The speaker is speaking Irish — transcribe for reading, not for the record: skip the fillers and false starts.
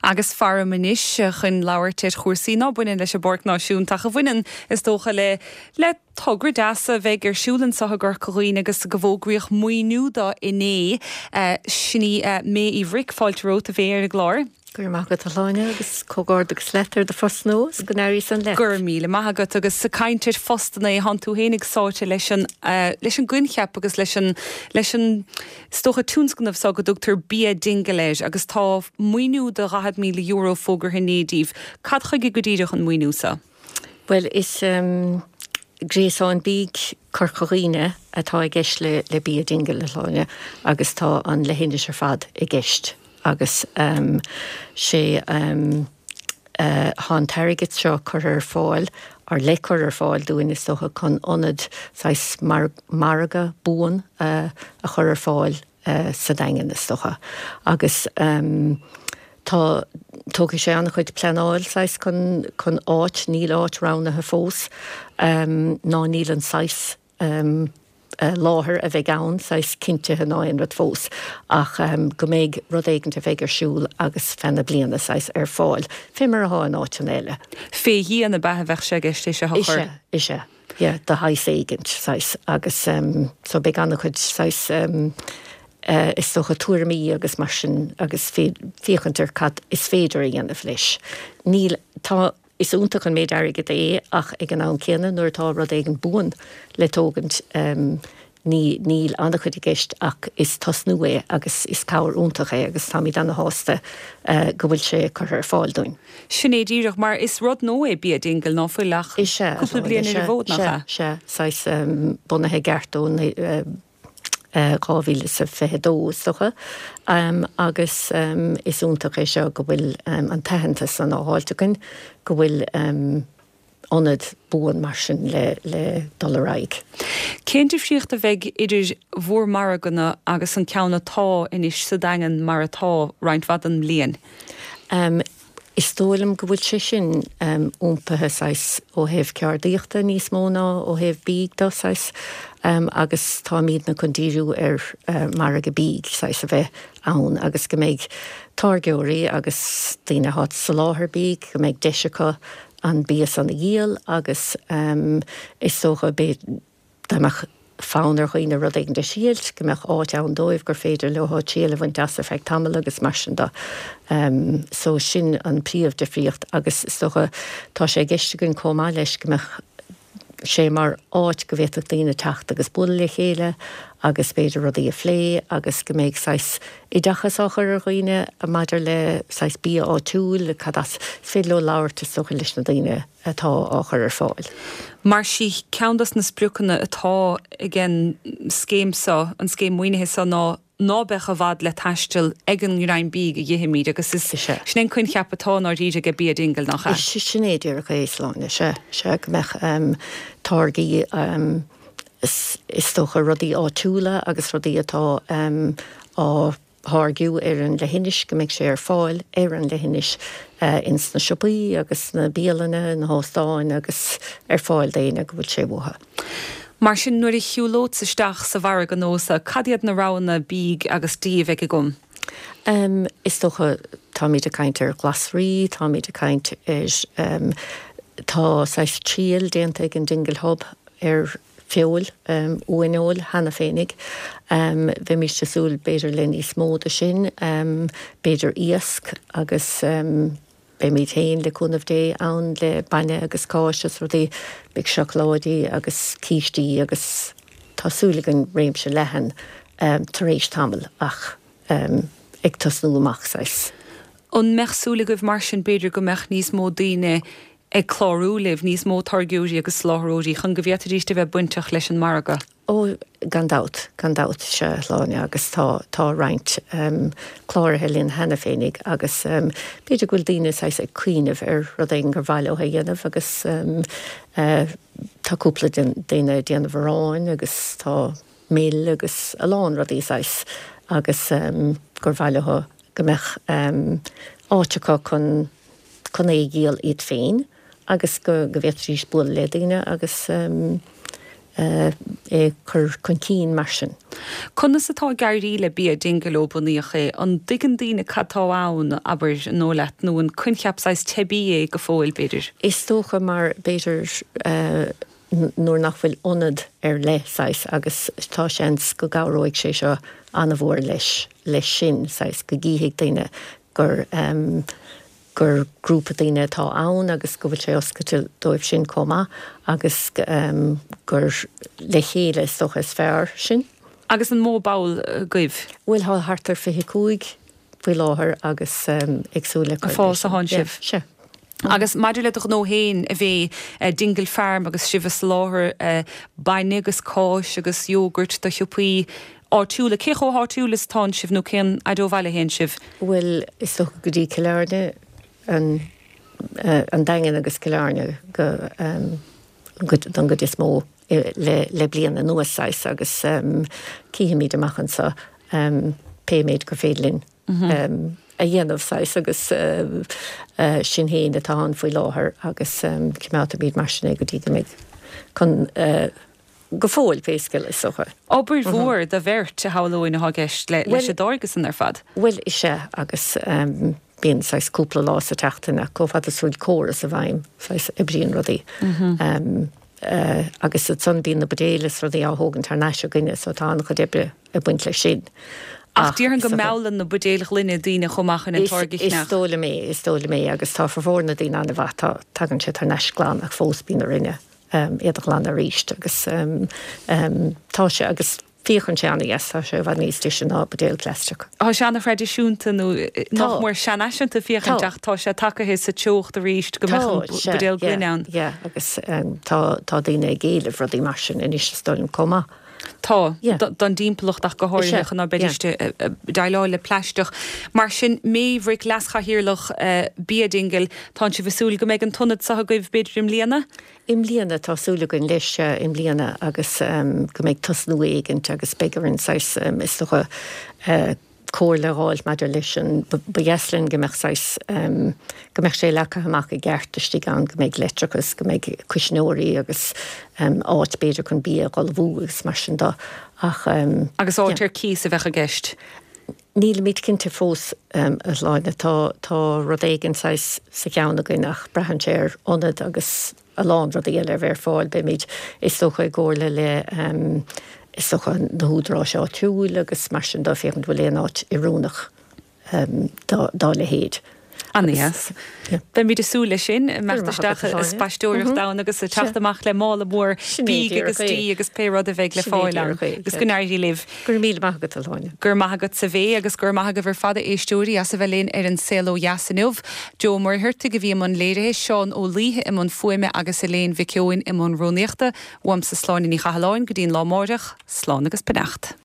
Agus faram anois chun labhairt ar chúrsaí ná baineann leis an bPáirc Náisiúnta ach a bhaineann, is dócha, le le togra deas a bheidh ar siúl anseo i gCorca Dhuibhne agus go bhfógraíodh maoiniú do inné. Sin í May Uí Bhric, fáilte romhat a Mhay ar an gclár. Go raibh maith agat a Shláine agus comhghairdeachas leat ar do phost nua is go n-éirí san leat. Go raibh míle maith agat agus ag caint ar phostanna, thánn tú fhéinig sáite leis an leis an gcoincheap agus leis an leis an is dócha tionscnamh seo go dtugtar Bia Dingle air agus tá maoiniú de €40,000 fógartha inné daoibh. Cad chuige go díreach an maoiniú seo? Bhuel is gréasán bídh Corca Dhuibhne atá i gceist le le Bia Dingle a Shláine agus tá an leithinis ar fad i gceist. Agus sé thá an t-airgead seo curtha ar fáil, or le cur ar fáil dúinn is dócha, chun ionad saghas margadh buan a chur ar fáil sa Daingean is dócha. Agus tá, tógfaidh sé an-chuid pleanáil saghas chun, chun áit, níl áit roghnaithe fós, ná níl an saghas láthair a bheidh ann, saghas cinntithe ná aon rud fós, ach go mbeidh rud éigint a bheidh ar siúl agus feadh na bliana, saghas, ar fáil, fé mar athá in áiteanna eile. Fé dhíon ab ea a bheadh sé i gceist é seo a chur? Is ea, is ea, yeah, de shaghas éigint, saghas, agus so beidh an-chuid, saghas, is dócha, tuairimí agus mar sin agus féachaint ar cad is féidir a dhéanamh leis. Níl, tá. Is iontach an méid airgid é ach ag an am céanna nuair atá rud éigin buan le tógaint ní níl an-chuid i gceist ach is tosnú é agus is cabhair iontach é agus táimid ana-shásta go bhfuil sé curtha ar fáil dúinn. Sin é díreach, mar is rud nua é Bia Dingle, ná fuil ach cúpla bliain ar an bhfód, nach ea? Sea, sea, saghas bunaithe i gceart ó 2022 is dócha, agus is iontach é seo go bhfuil an t-aitheantas san á fháilt againn, go bhfuil ionad buan mar sin le dul ar aghaidh. Cén difríocht a bheidh idir bhur margadh-na agus an ceann atá anois sa Daingean mar atá roinnt mhaith den mbliain? Is dóigh liom go bhfuil sé sin iompaithe saghas ó thaobh ceardaíochta níos mó ná ó thaobh bídh de saghas agus táimidne chun díriú ar margadh bídh saghas a bheith ann agus go mbeidh táirgeoirí agus daoine atá ag soláthar bídh go mbeidh deis acu an bia san a dhíol agus is dócha beidh Dá mbeadh fonn ar dhaoine rud éigin a thriailt, go mbeadh áit ann dóibh gur féidir leo triail a bhaint as ar feadh tamaill agus mar sin de. So sin an príomh difríocht agus is dócha tá sé i gceist againn chomh maith leis go mbeadh sé mar áit go bhféadfadh daoine teacht agus bualadh le chéile agus b'fhéidir rudaí a phlé agus go mbeidh saghas oideachas á chur ar dhaoine maidir le saghas bia áitiúil, cad as is féidir leo labhairt is dócha leis na daoine. atá á chur ar fáil. Mar sí ceann dos na spriocanna atá ag an scéim seo, an scéim maoinithe seo ná ná beadh i bhfad le taisteal ag an ngreim bídh a dh'ithimid agus is sin é an coincheap atá i ndáiríre ag Bia Dingle, nach ea? Is sin é díreach é, Sláine, sea, sea, go mbeadh táirgí, is dócha rudaí áitiúla agus rudaí atá á tháirgiú ar an leithinis, go mbeidh sé ar fáil ar an leithinis ins na siopaí agus sna bialanna, na hóstáin agus ar fáil d'éinne go bhfuil sé uathu. Mar sin, nuair a shiúlódsa isteach sa mhargadh nua seo, cad iad na roghanna bídh agus dí a bheidh agam? Is dócha, táimid ag caint ar ghlasraí, táimid ag caint ar, tá saghas triail déanta ag an Dingle Hub ar feoil, uaineoil cheana féinig. Bheimíst ag súil b'fhéidir le níos mó de sin, b'fhéidir iasc agus beimíd féin, le cúnamh Dé, ann le bainne agus cáis is rudaí, beidh seacláidí agus cístí agus tá súil againn réimse leathan tar éis tamaill ach ag tosnú amach saghas. An mbeadh súil agaibh mar sin b'fhéidir go mbeadh níos mó daoine ag clárú libh, níos mó táirgeoirí agus soláthróirí chun go bhféadfaidís a bheith bainteach leis an margadh? Ó, gan dabht, gan dabht, sea, a Shláine, agus tá, tá roinnt cláraithe linn cheana féinig agus b'fhéidir go bhfuil daoine saghas ag cuimhneamh ar rud éigin gur mhaith leo a dhéanamh agus tá cúpla daoine ag déanamh aráin agus tá mil agus a lán rudaí saghas agus gur mhaith leo go mbeadh áit acu chun chun é a dhíol iad féin agus go go bhféadfaidís bualadh le daoine agus. é a chur chun cinn mar sin. Conas atá ag éirí le Bia Dingle ó bunaíodh é? An dtuigeann daoine cad tá ann, abair, an dóigh leat, nó an coincheap saghas teibí é go fóill, b'fhéidir? Is dócha mar, b'fhéidir, nuair nach bhfuil ionad ar leith, saghas, agus tá seans go gcabhróidh sé seo an-mhór leis, leis sin, saghas, go gcífidh daoine gur, gur grúpa daoine atá ann agus go bhfuil sé oscailte dóibh sin chomh maith agus gur le chéile is dócha is fearr sin. Agus an mó ball agaibh? Bhuel tá thart ar 25 faoi láthair agus ag súil le cur leis. Ag fás atánn sibh? Sea. Agus maidir le do ghnó féin a bhí Dingle Farm agus sibh ag soláthar bainne agus cáis agus yogurt do shiopaí áitiúla, cé chomh háitiúil is atánn sibh nó cén fhaid ó bhaile a théann sibh? Bhuel, is dócha go dtí Cill Airne, an an Daingean agus Cill Airne go don gcuid is mó le le bliain anuas saghas agus cífimid amach anseo pé méid gur féidir linn a dhéanamh saghas agus sin féin atá ann faoi láthair agus coimeádfaimid mar sin é go dtí go mbeidh chun go fóill pé scéal is dócha. Obair mhór do bheirt, a shamhlóinn, atá i gceist leis an dtáirgeadh san ar fad. Bhuel, is ea, agus bíonn saghas cúpla lá sa tseachtain ach chomh fada is a bhfuil córas i bhfeidhm, saghas oibríonn rudaí. Agus ansan bíonn na buidéil is rudaí á thógaint thar n-ais againne so tá an-chuid oibre ag baint leis sin. Ach déarfainn go meallann na buidéil ghloine daoine chomh maith chun an táirge a cheannach. Is dóigh liom é, is dóigh liom é agus tá formhór na daoine an-mhaith, tá, tagann sé thar n-ais glan ach fós bíonn orainne iad a ghlanadh arís agus tá sé agus féachann sé an-dheas, tá sé i bhfad níos deise ná buidéal plaisteach. Tá sé an-thraidisiúnta nó nach mór seanfhaiseanta féachaint ach tá sé tagaithe sa teocht arís go mbeadh an buidéal gloine ann. Yeah agus tá tá daoine ag éileamh rudaí mar sin anois is dóigh liom chomh maith. Tá, don dtimpeallacht ach go háirithe chun ná beidís ag déileáil le plaisteach. Mar sin, Méabh Rice, Leas-Chathaoirleach Bia Dingle, tánn sibh ag súil go mbeidh an t-ionad seo agaibh b'fhéidir i mbliana? I mbliana, tá súil againn leis, sea, i mbliana agus go mbeidh tosnú éigint agus beidh orainn saghas, is dócha, comhairle a dh'fháil maidir leis an, ba dheas linn go mbeadh saghas, go mbeadh sé leagtha amach i gceart istigh ann, go mbeidh leictreachas, go mbeidh cuisneoirí agus áit b'fhéidir chun bia a dh'ullmhú agus mar sin de ach. Agus áit ar cíos a bheadh i gceist? Nílimid cinnte fós, a Shláine. Tá, tá rud éigin saghas sa cheann againn ach braitheann sé ar ionad agus a lán rudaí eile a bheith ar fáil. Beimid, is dócha, i gcomhairle le, is dócha, na húdaráis áitiúil agus mar sin de, féachaint an bhfuil aon áit oiriúnach dá leithéid. An-dheas. Beimid ag súil leis sin, imeacht isteach ag spaisteoireacht ann agus ag teacht amach le mála mór bídh agus dí agus pé rud a bheidh le fáil ann. Agus go n-éirí libh. Go raibh míle maith agat, a Shláine. Go raibh maith agatsa a Mhéabh agus go raibh maith agaibh ar fad a éisteoirí as a bheith linn ar An Saol Ó Dheas inniu. Joe Ó Muircheartaigh a bhí i mbun léirithe, Seán Ó Laoithe i mbun fuaime agus Elaine Mhic Eoin i mbun rúnaíochta. Uaimse Sláine Ní Chathalláin go dtí an lá amáireach, slán agus beannacht.